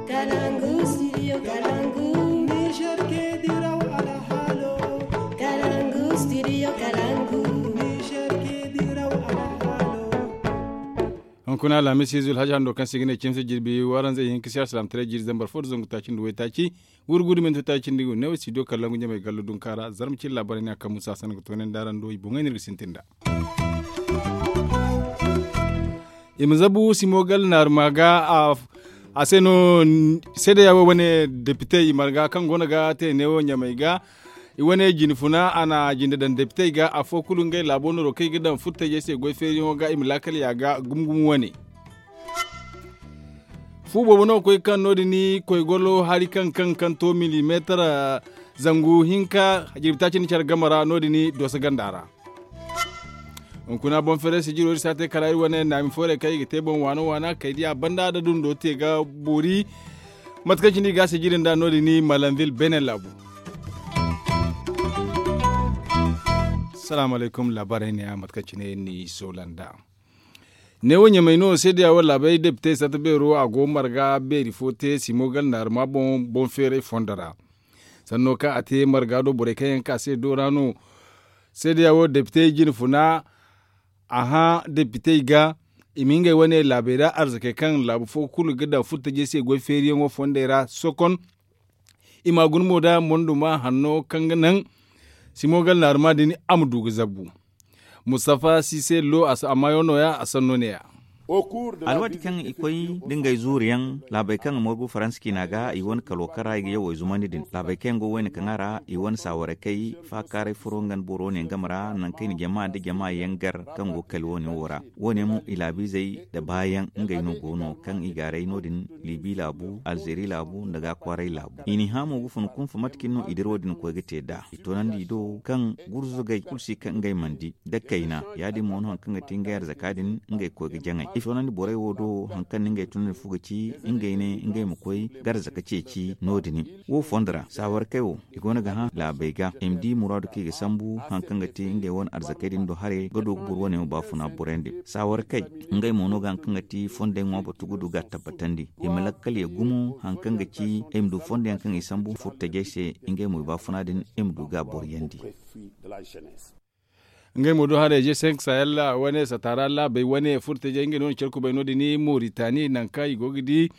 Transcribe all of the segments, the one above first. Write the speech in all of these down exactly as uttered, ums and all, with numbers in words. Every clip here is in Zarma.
Kalangu studio kalangu. Niger ke diraw alhalo. Kalangu studio kalangu. Niger ke diraw alhalo. Hunkuna alhamis izu alhaji hando kaŋ se ga ne cimsi jirbi waranza ihinka si alsalam tare jiri zambar fo da zangu taaci nda waytaaci. Wurgudu minti taaci nda gu ne wo studio kalangu ɲamay gallo dunka ra zarma cin laabaray ne a kaŋ musa sanaŋ ga toonandi araŋ do i boŋey no iri ga sintin nd'a. I ma zabu simo gal naaruma ga a se no. Seedeya wo wane depite i marga kaŋ go no ga te neewo ɲamay ga. I wane jine funa a na jinde daŋ depitey ga afo kulu ngey laabo nooro kaŋ i ga daŋ furtajey se goy feeriyaŋo ga i ma laakal ya ga gumo gumo wane. Fu boobo no ga koy kaŋ no- din koy golo hari kaŋ kaŋ kaŋ to milimeetar zangu hinka jirbi taaci nda care game ra no- din dooso ganda ra. Hunkuna boŋ feeray sijiro iri si a te kala iri wane naami fooray kaŋ i ga te boŋ waana waana kay diya banda da dundo te ga boori. Mate kaŋ cine i ga a sijiri nd'a no- din malanvil beene laabu. Salaamu alaykum laabaarey ne ya mate kaŋ cine ni soola nd'a. Neewo ɲamay no seedeya wo laabey depitey sata beero a go marga beeri fo te simo ganda arma boŋ boŋ feeray fondo ra. Sanno kaŋ a te marga do borey kaŋ yaŋ ka se do ra no. Seedeya wo depitey jine funa a hã depitey ga i ma ngey wane laabey ra arzakey kaŋ laabu fo kulu ga daŋ furtajey se goy feeriyaŋo fondey ra sokon. I ma guna mo da monduma hanno kaŋ ga naŋ simo gal naaruma din a ma du ga zabu. Mustafa sise lo a si ammayo no- ya a sanno ne- ya. Alwaati kaŋ i koy da ngey zuuru yaŋ laabey kaŋ ga morgu faransa ciina ga i wane kalo kaŋ ra i ga yaw ay zumandi din laabey kaŋ yaŋ go wayna kaŋ a ra i wane saawaray kay faakaaray furo nga nda boro ne game ra nangu kaŋ i na jama nda jama yaŋ gar kaŋ go kali wo- ne wo ra. Wo- ne mo i laabiizey nda baayaŋ ngey no go no kaŋ i gaaray no- din libi laabu alzeeri laabu nda ga kwaaray laabu i n'i hã mo ga fun kunfa mate cine no i dirawo din koy ga te nd'a i toonandi i do kaŋ gurzugay kulu si kaŋ ngey mana di nda kayna ya- din mo no hari kaŋ ga te ngey arzaka din ngey koy ga jaŋay i toonandi borey wo do hari kaŋ no ngey tunandi fu ga ci ngey ne ngey ma koy ga arzaka ceeci no- din wo fondo ra saawar kay wo i go no ga hã laabey ga i ma di muraadu kaŋ i ga sambu hari kaŋ ga te ngey wane arzakey din do haray ga du ga boro wane wo baafuna borandi saawar kay ngey mo no ga hari kaŋ ga te fondey ŋwa batu ga du ga a tabbatandi i ma lakkal ye gumo hari kaŋ ga ci i ma du fondo yaŋ kaŋ i sambu furtajey se ngey mo i baafuna din i ma du ga a boro yandi. Ngey mo do haray je senk sahel wane satara laabey wane furtajey ngey no na care kubay no- din moritani nangu kaŋ i go ga di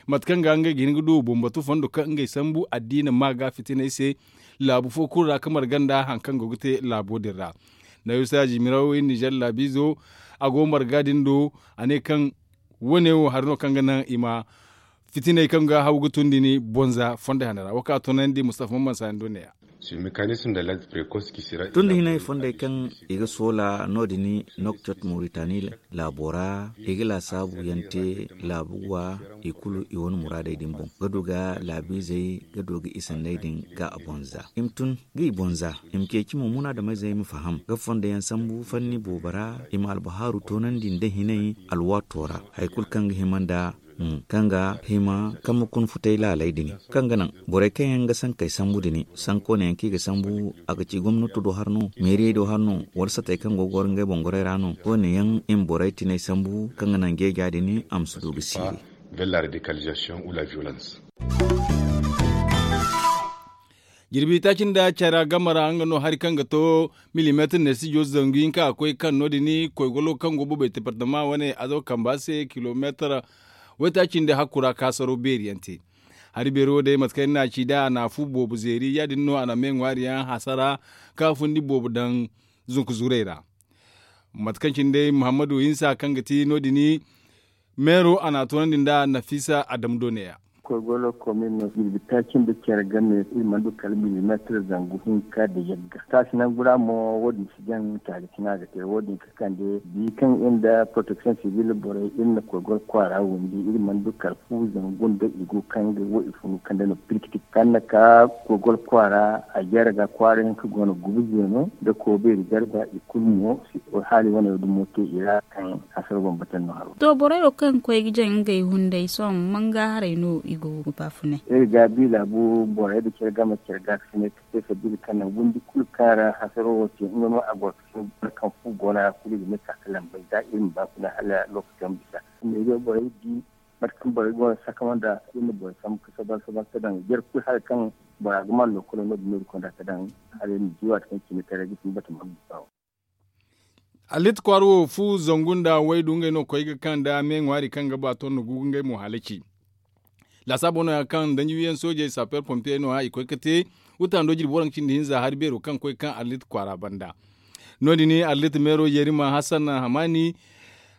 mate kaŋ ga ngey ga hin ga du bumbo batu fondo kaŋ ngey sambu addiina ma ga fitiney se laabu fo kulu ra ga marga nda hari kaŋ go ga te laabo din ra. Nayusa jimiraw iri nizer laabiizo a go marga din do a ne kaŋ wo- ne wo hari no kaŋ ga naŋ i ma fitiney kaŋ ga haw ga tun din bonza fondey hane ra wo kaŋ a toonandi mustafa mamman saani do ne- ya. Tun da hinay fondey kaŋ i ga soola no- din nokcot moritani laabo ra i ga laasaabu yaŋ te laabu ga wa i kulu i wane muraadey din boŋ ga du ga laabiizey ga du ga i sanney din ga a bonza i ma tun ga i bonza i ma ceeci mo munaadameyzey ma faham ga fondo yaŋ sambu fanni boobo ra i ma albahaaru toonandi nda hinay alwaato ra hari kulu kaŋ ga hima nda kaŋ ga hima kaŋ ma kun futay laaley din kaŋ ga naŋ borey kaŋ yaŋ ga sankey sambu din sanko ne yaŋ kaŋ i ga sambu a ga ci gomnato do har no meeriyey do har no wala satey kaŋ go ga goro ngey boŋ gorey ra no wo- ne yaŋ i ma borey tinay sambu kaŋ ga naŋ jeeja din a ma si du ga siiri. Jirbi taaci nda care game ra nga no hari kaŋ ga to milimeetar ne sijo zangu hinka a koy kaŋ no- din koy golo kaŋ go bobey departama wane azo kamba se kilomeetar waytaaci nda hakku ra kaasaro beeri yaŋ te. Hari beeri wo day mate kaŋ ni na a ci da a na fu boobo zeeri ya- din no a na me ŋwaari yaŋ hasara kaŋ a fundi boobo daŋ zunku zurey ra. Mate kaŋ cine day muhammadu hinsa kaŋ ga ti no- din meero a na a toonandi nda nafisa adamu do ne- ya. Koy golo komin no jirbi taaci nda care game iri mana du kala milimeetar zangu hinka nda yagga taasi nangu ra mo wo- din si jaŋ taali cina ga te wo- din ga kande bi kaŋ iri nda poroteksiyoŋ sibil borey iri na koy goro kwaara windi iri mana du kala fu zangu nda i gu kaŋ ngey wo i funu kande no pirkiti kaŋ na ka koy goro kwaara a jare ga kwaara hinka go no gubu zeeno nda koobeeri garba i kulu mo haali wane wo dumo te i ra kaŋ hasara bambata no haro. To borey wo kaŋ ga koy ga jaŋ ngey hunday sohõ manga haray no i go ga baafunay. Iri ga bi laabu borey nda care game care gaakasinay ga te sabili kaŋ naŋ windi kulu kaŋ ra hasaro wo te nga no a goro ga sinda boro kaŋ fu go no a ra kulu i ga ne ka ga lambay za iri ma ba funa hala lokaci kaŋ bisa meeriyo borey di Mate kaŋ borey go no sakamanda iri na borey sambu ka sabar sabar ka daŋ jare kulu hari kaŋ bora ga maan lookolo no- din no iri konda ka daŋ. Hari iri ma di waati kaŋ cine taray ga tun batama ma bisa wo. Allit kwaara wo fu zangu nda waydu ngey no koy ga kaŋ nda me ŋwaari kaŋ ga ba ton na gu ga ngey mo halaci. Laasaabo no- ya kaŋ danji wiyaŋ soojey saper pompiye no- ya i koy ga te. Wuta hando jirbi waranka cindi hinza hari beero kaŋ koy kaŋ allit kwaara banda. No- din allit meero yerima hasan hamani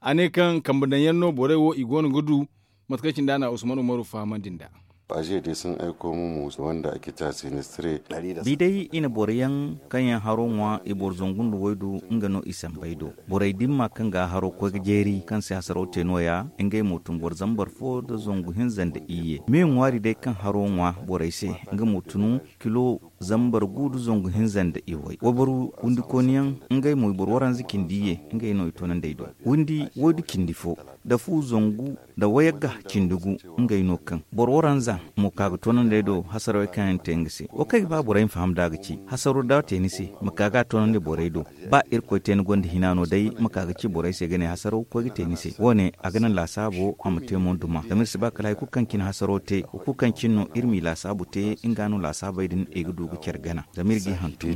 a ne kaŋ kambe daŋ yaŋ no borey wo i go no ga du. Mate kaŋ cindi a na usman umaru fahamandi nd'a. Aje day sun aiko mu mu wanda ake ta sinistire. Bi day i na boro yaŋ kaŋ yaŋ haro ŋwa i boro zangu nda waydu nga no i sambey do. Borey dimma kaŋ ga haro koy ga jeeri kaŋ se hasaraw te no- ya ngey mo tun boro zambar fo nda zangu hinza nda iyye me ŋwaari day kaŋ haro ŋwa borey se. Nga mo tun kilo zambar gu nda zangu hinza nda iway wayboro windi kooni yaŋ. Ngey mo i boro waranza cindi iyye ngey no i toonandi ay do. Windi waydu cindi fo nda fu zangu nda wayagga cindi gu. Ngey no kaŋ boro waranza mo ka ga toonandi ay do hasarawey kaŋ yaŋ te nga se wo kaŋ ay ga ba borey ma faham da ga ci hasaro da a te ni se ma ka ga a toonandi borey do. Ba irkoy te ni gonda hina no day ma ka ga ci borey se ga ne hasaro koy ga te ni se wo- ne a ga naŋ laasaabo a ma te mo duma zama iri si ba kala hari kulu kaŋ cine hasaro te wo kulu kaŋ cine no iri m'i laasaabo te. Nga no laasaabey din i ga du ga care gana zama iri g'i hantum.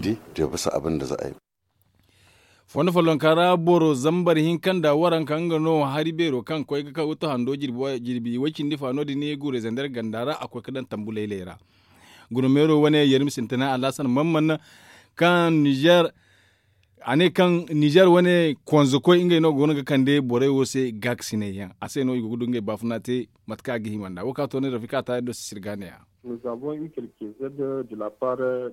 Fondo follonka ra boro zambar hinka nda waranka nga no hari beero kaŋ koy ga kaw ga to hando jirbi way cindi fa no- din gure zander ganda ra a koy ga daŋ tambu laylay ra. Guna meero wane yerim sintina alhasan mamman kaŋ nizer a ne kaŋ nizer wane konzo koy ngey no go no ga kande borey wo se gaakasinay yaŋ a se no i go ga du ngey baafuna te. Mate kaŋ a ga hima nd'a wo ka to ne rafika ta do sisir ga ne ya.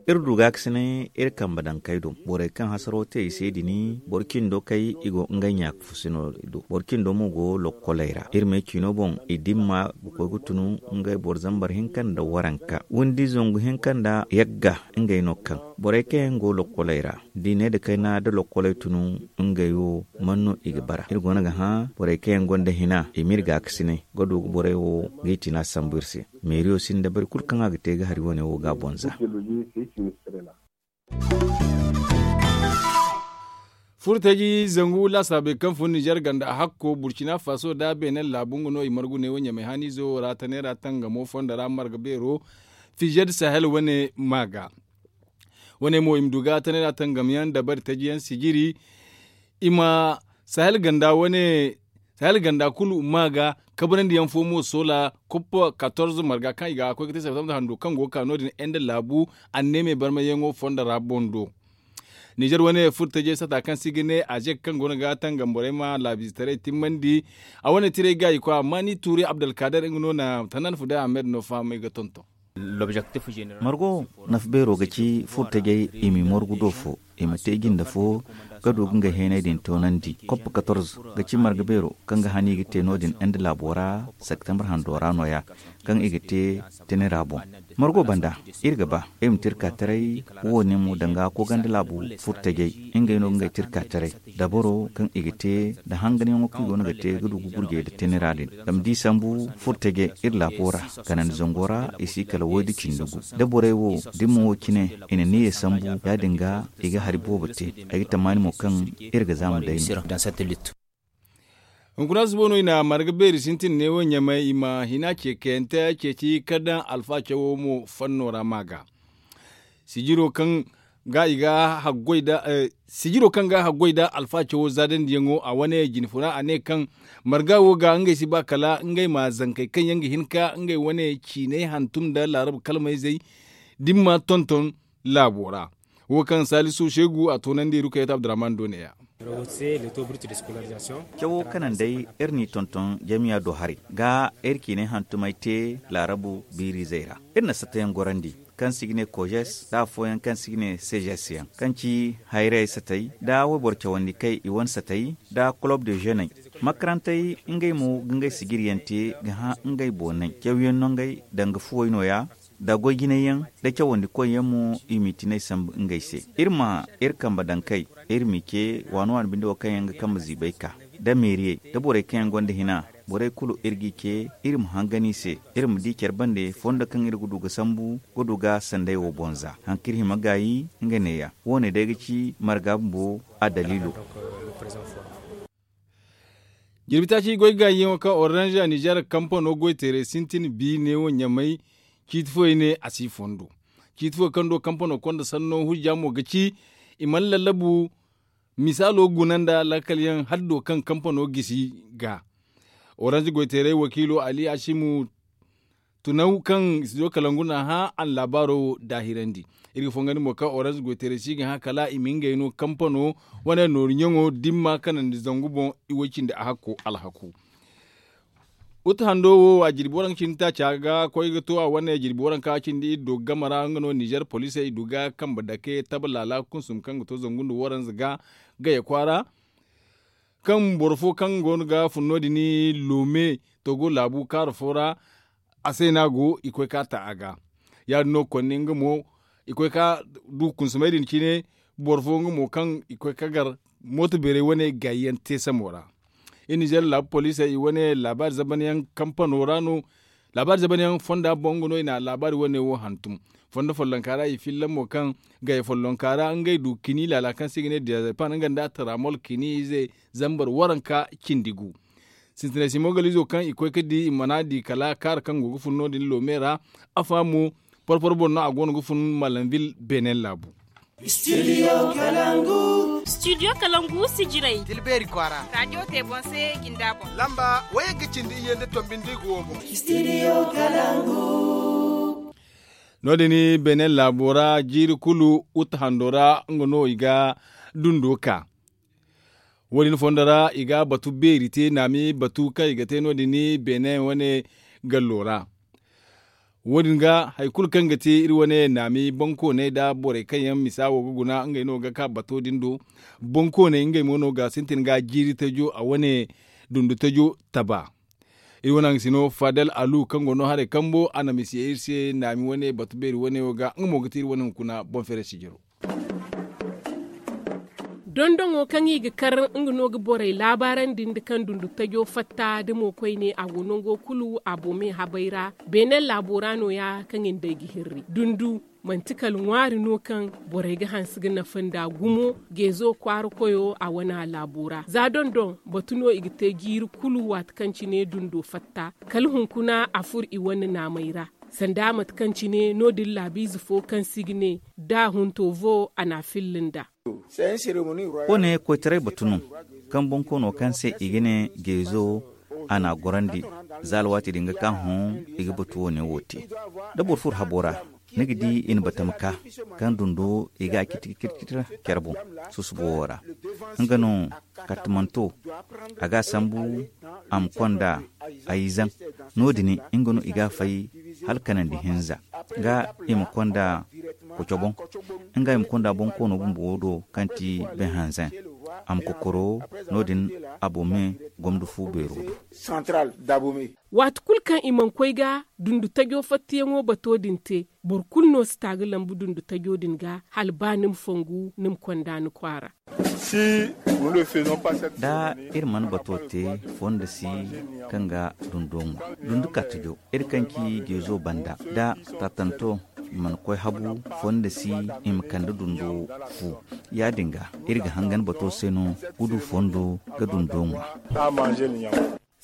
Iri du gaakasinay iri kambe daŋ kay do borey kaŋ hasaro te i se din boro cindo kay i go ngey ɲa ga fusino do boro cindo mo go lokkoley ra iri me ciino boŋ i dimma ga koy ga tunu ngey boro zambar hinka nda waranka windi zangu hinka nda yagga. Ngey no kaŋ borey kaŋ yaŋ go lokkoley ra da i ne da kayna da lokkoley tunu ngey wo man no i ga bara iri go no ga hã borey kaŋ yaŋ gonda hina i m'iri gaakasinay ga du ga borey wo g'i tina sambu iri se. Meeriyo sinda bari kulu kaŋ a ga te ga hari wane wo ga a bonza. Furtaji zangu laasaabey kaŋ fun nizer ganda a hakko burkina faso da beene laabu nga no i margu ne wo ɲamay haniizo ra tanera tangamo fondo ra marga beero fized sahel wane ma ga. Wane mo i ma du ga tanera tangamyaŋ dabari tajiyaŋ sijiri i ma sahel ganda wane sahel ganda kulu ma ga kabanandi yaŋ fo mo soola koppa katorze marga kaŋ i ga a koy ga te septembre hando kaŋ go ga ka no- din ende laabu anneeme barmayyaŋo fondo ra boŋ do. Nizer wane furtajey sata kaŋ se i ga ne a zek kaŋ go no ga tangam borey ma laabiizetaray timmandi. A wane tiray ga i koy amma ni tuuri abdalkader nga no na tanan fuday ahmed no fahamay ga tonton. Margo nafa beero ga ci furtajey i m'i margu do fo i ma te i jinde fo ga du ga ngey heeney din toonandi koppa katorze ga ci marga beero kaŋ ga han i ga te no- din nda laabo ra septembre hando ra no- ya kaŋ i ga te tenera boŋ. Margo banda iri ga ba iri ma te iri ka taray wo- ne mo danga kooganda laabu furtajey ngey no ga ngey te iri ka taray dabaro kaŋ i ga te nda hanganyaŋo kaŋ i go no ga te ga du ga gurjey nda tenera din zama da i sambu furtaje iri laabo ra ganandi zango ra i si kala waydu cindi gu da borey wo da iri ma wo cine i na niya sambu ya- din ga i ga hari boobo te. Ay ga tamaani mo kaŋ iri ga za ma day no. Hunkuna subo no i na marga beeri sintin neewo ɲamay i ma hina ce kayante ceeci kaŋ daŋ alfa cawo mo fanno ra ma ga sijiro kaŋ ga i ga haggoy da sijiro kaŋ ga haggoy da alfa cawo zaadandiyaŋo a wane jinfuna a ne kaŋ marga wo ga ngey si ba kala ngey ma zankey kaŋ yaŋ ga hin ka ngey wane ciinay hantum nda laarab kalmayzey da ni ma tonton laabo ra. Wo kaŋ salisu seegu a toonandi rukayetu abdurrahman do ne ya. Cawo kanandey iri n'i tonton jamiya do haray ga iri ciinay hantumey te laarabu biiriizey ra. Iri na satayaŋ gorandi kaŋ se i ga ne kojes nda afooyaŋ kaŋ se i ga ne sejes yaŋ kaŋ ci hayrayey satay nda wayboro cawandi kay i wane satay nda kolob de zeney. Makarantey ngey mo ga ngey sijiriyaŋ te ga hã ngey boonay cawyaŋ nongey danga fuwey nooya nda goy jinayyaŋ nda cawandi koyyaŋ mo i m'i tinay sambu ngey se. Iri ma iri kambe daŋ kay iri m'i ce waani waani binde wo kaŋ yaŋ ga kambe ziibay ka nda meeriyey nda borey kaŋ yaŋ gonda hina. Borey kulu iri g'i ce iri ma hangan i se iri ma di care bande fondo kaŋ iri ga du ga sambu ga du ga sanday wo boŋ za haŋ kaŋ iri hima gaayi. Nga neeya wo- ne day ga ci marga bumbo a daliilo. Jirbi taaci goy gaayyaŋo kaŋ oranza nizeer kampano goy teeray sintin bi neewo ɲamay. Ciiti fooyaŋ ne a si fondo. Ciiti fooyaŋ kaŋ do kampano konda sanno hujja mo ga ci i mana lallabu. Misaalo guna nda lakkal yaŋ haddo kaŋ kampano gisi ga. Oranza goy teeray wakiilo ali asimu tunaw kaŋ studio kalangu n'a hã a na laabaaro wo daahirandi. Iri ga fongandi mo kaŋ oranza goy teeray si ga hã kala i ma ngey no kampano wane nooru ɲaŋo dimma kanandi zangu boŋ. I woy cindi a hakko alhaku. Uta hando wo a jirbi waranka cindi taaca ga koy ga to a wane jirbi waranka cindi iri du ga game ra nga no nizeer poliisey i du ga kambe dake taba laala kunsum kaŋ ga to zangu nda waranza ga gaya kwaara. Kaŋ boro fo kaŋ go no ga fun no- din lome togo laabu kaara fo ra. A se no a go i koy ka ta a ga. Ya- din no konne nga mo i koy ka du kunsumey din cine. Boro fo nga mo kaŋ i koy ka gar mooto beeray wane gaayyaŋ te samo ra. Iri nizeer laabu poliisey i wane laabaari zabanyaŋ kampano ra no. Laabaari zabanyaŋ fonda boŋ nga no i na laabaari wane wo hantum. Fondo follonka ra i filla mo kaŋ gaya follonka ra ngey du kini laala kaŋ se i ga ne diyazepan nga nda taramol kini ize zambar waranka cindi gu. Sintinay simo galizo kaŋ i koy ga di i mana di kala kaara kaŋ go ga fun no- din lome ra. Afa mo porporo boŋ no a go no ga fun malanvil benin laabu. Studio kalangu sijirey tilbeeri kwaara raajo te boŋ se jinda boŋ lamba wayey ga cindi iyye nda tombi nda i go wo boŋ. No- din benin laabo ra jiiri kulu uta hando ra nga no i ga dundo ka. Wo- din fondo ra i ga batu beeri te naami batu kaŋ i ga te no- din benin wane gallo ra. Wo- din ga hari kulu kaŋ ga te iri wane naami bankooney nda borey kaŋ yaŋ misa wo ga guna ngey no ga ka bato din do. Bankooney ngey mo no ga sintin ga jiiri tajo a wane dundu tajo taba. Iri wane haŋ sino fadel alu kaŋ go no haray kambo a na misi ye iri se naami wane batu beeri wane wo ga nga mo ga te iri wane hunkuna boŋ feere sijiro. Dondoŋo kaŋ i ga kar nga no ga borey laabaarandi nda kaŋ dundu tajo fatta da mo koyne a go nango kulu a boŋ me habay ra. Benin laabo ra no- ya kaŋ i nda ay ga hirri dundu manti kala ŋwaari no kaŋ borey ga hanse ga nafa nda gumo. Geezo kwaara koyo a wane a laabo ra za dondon batu no i ga te jiiri kulu waati kaŋ cine dundo fatta kala hunkuna a furo i wane naamey ra. Sanda mate kaŋ cine no- din laabiize fo kaŋ se i ga ne da a hunto vo a na a filla nda. Wo- ne koytaray batu no kaŋ bonkoono kaŋ se i ga ne geezo a na a gorandi. Za alwaati din ga ka hõ i ga batu wo- ne wo te da boro furo habo ra ni ga di i na batama ka kaŋ dundo i ga a citi ga citi ga citi care boŋ susubo wo ra. Nga no kartimanto a ga a sambu a ma konda a izaŋ. No- din nga no i ga a fay hala kanandi hinza ga i ma konda koco boŋ. Nga i ma konda bonkoono bumbo wo do kaŋ ti behanzin a ma kokoro. No- din a boŋ me gomdo fu beero do. Waati kulu kaŋ i mana koy ga dundu tajo fattiyaŋo bato din te boro kulu no si ta ga lambu dundu tajo din ga hala ba ni ma fongu ni ma konda ni kwaara. Da iri mana bato te fondo si kaŋ ga dundo ŋwa dundu ka tajo iri kaŋ ci geezo banda da tatanto mana koy habu fondo si i ma kande dundo fu. Ya- din ga iri ga hangan bato se no ga du fondo ga dundo ŋwa.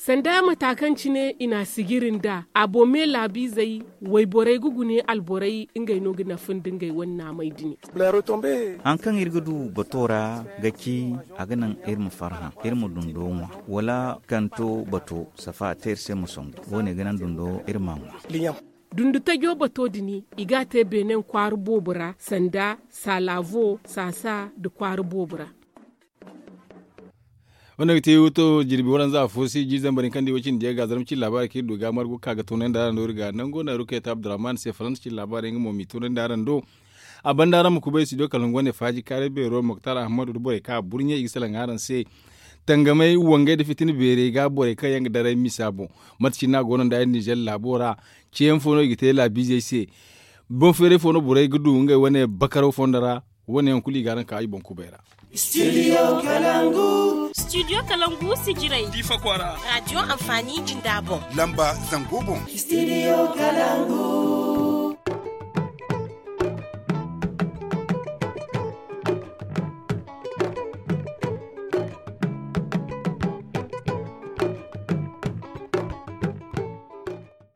Sanda mata kaŋ cine i na a sijiri nd'a a boŋ me laabiizey wayborey ga gune alborey ngey no ga nafa nda ngey wane naamey dini. Haŋ kaŋ iri ga du bato ra ga ci a ga naŋ iri ma farhã iri ma dundo ŋwa wala kanto bato safa a te iri se ma songu wo- ne ga naŋ dundo iri ma a ŋwa. Dundu tajo bato dini i ga a te beenen kwaara boobo ra sanda saalaavo saasa nda kwaara boobo ra. Wane ga te wuto jirbi waranza afo si jiiri zambar hinka nda i way cindi yaŋ ga zarma cine laabaari kaŋ iri du ga margu ka ga toonandi araŋ do iri ga nango na rukayat abdurrahman se faransa cine laabaari nga mo m'i toonandi araŋ do. A banda araŋ ma kubay studio kala nga wane faaji kaaray beero moktar ahmadu nda borey kaŋ a burɲe i ga salaŋ araŋ se. Tangamay wangay nda fitina beerey ga borey kaŋ yaŋ ga daray misa boŋ. Mate cine no a go no nda ay nizer laabo ra. Ceeyaŋ fo no i ga te laabiizey se. Boŋ feeray fo no borey ga du ngey wane bakaraw fondo ra. Wo- ne yaŋ kulu i ga araŋ ka i boŋ kubay ra. Studio kalangu sijirey diifa kwaara raadiyo anfaani jinda boŋ lamba zango boŋ. Studio kalangu.